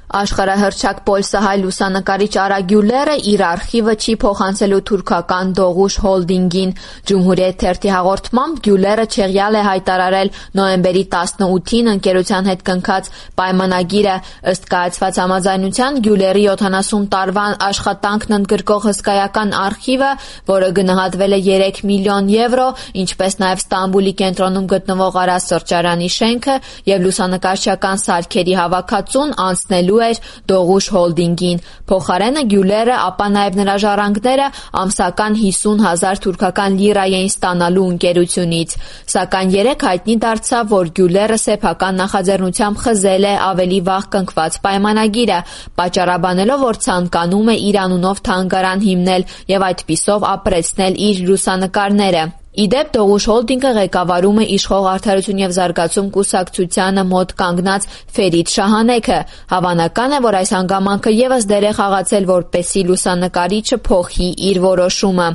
Աշխարհահռչակ պոլսահայ լուսանկարիչ Արա Գյուլերը իր արխիվը չի փոխանցելու թուրքական Դողուշ հոլդինգին։ Ջումհուրիետ թերթի հաղորդմամբ Գյուլերը չեղյալ է հայտարարել նոյեմբերի 18-ին ընկերության հետ կնքած պայմանագիրը։ Ըստ կայացված համաձայնության Գյուլերի 70 տարվա աշխատանքն ընդգրկող հսկայական արխիվը, որը գնահատվել է 3 միլիոն եվրո, ինչպես նաև Ստամբուլի կենտրոնում գտնվող Արա սրճարանի շենքը եւ լուսանկարչական սարքերի հավաքածուն անցնելու էր Դողուշ հոլդինգին։ Փոխարենը Գյուլերը, ապա նաև նրա ժառանգները ամսական 50,000 թուրքական լիրա էին ստանալու ընկերությունից։ Սակայն երեկ հայտնի դարձավ, որ Գյուլերը սեփական նախաձեռնությամբ խզել է ավելի վաղ կնքված պայմանագիրը, պատճառաբանելով, որ ցանկանում է իր անունով թանգարան հիմնել եւ այդպիսով ապրեցնել իր լուսանկարները։ Իդեպ Դողուշ հոլդինգը ղեկավարում է իշխող Արդարություն եւ զարգացում կուսակցությանը մոտ կանգնած Ֆերիդ Շահանեքը։ Հավանական է, որ այս հանգամանքը եւս դեր է խաղացել, որպեսզի լուսանկարիչը փոխի իր որոշումը։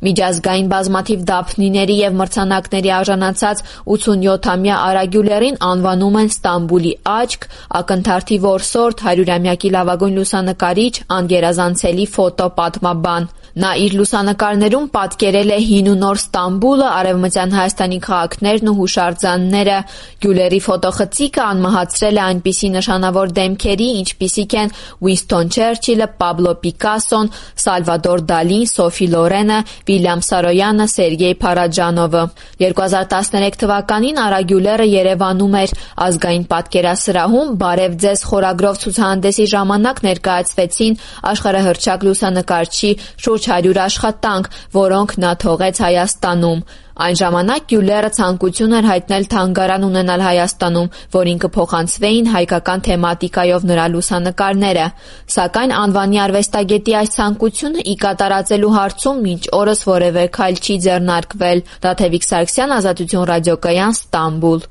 Միջազգային բազմաթիվ դափնիների եւ մրցանակների արժանացած 87-ամյա Արա Գյուլերին անվանում են Ստամբուլի աչք, ակնթարթի որսորդ, 100-ամյակի լավագույն լուսանկարիչ, անգերազանցելի ֆոտոպատմաբան։ Նա իր լուսանկարներում պատկերել է հին ու նոր Ստամբուլը, արևմտյան Հայաստանի քաղաքներն ու հուշարձանները։ Գյուլերի ֆոտոխցիկը անմահացրել է այնպիսի նշանավոր դեմքերի, ինչպիսիք են Ուինսթոն Չերչիլը, Պաբլո Պիկասոն, Սալվադոր Դալին, Սոֆի Լորենը, Վիլյամ Սարոյանը, Սերգեյ Փարաջանովը։ 2013 թվականին Արա Գյուլերը Երևանում էր ազգային պատկերասրահում «Բարև ձեզ» խորագրով ցուցահանդեսի ժամանակ ներկայացվեցին աշխարհահռչակ լուսանկարչի շուրջ 100 աշխատանք, որոնք նա թողեց Հայաստանում։ Այն ժամանակ Գյուլերը ցանկություն էր հայտնել թանգարան ունենալ Հայաստանում, որին կփոխանցվեին հայկական թեմատիկայով նրա լուսանկարները։ Սակայն անվանի արվեստագետի այս ցանկությունը ի կատարածելու հարցում մինչ օրս որևէ քայլ չի ձեռնարկվել։ Դաթևիկ Սարգսյան, Ազատություն ռադիոկայան, Ստամբուլ։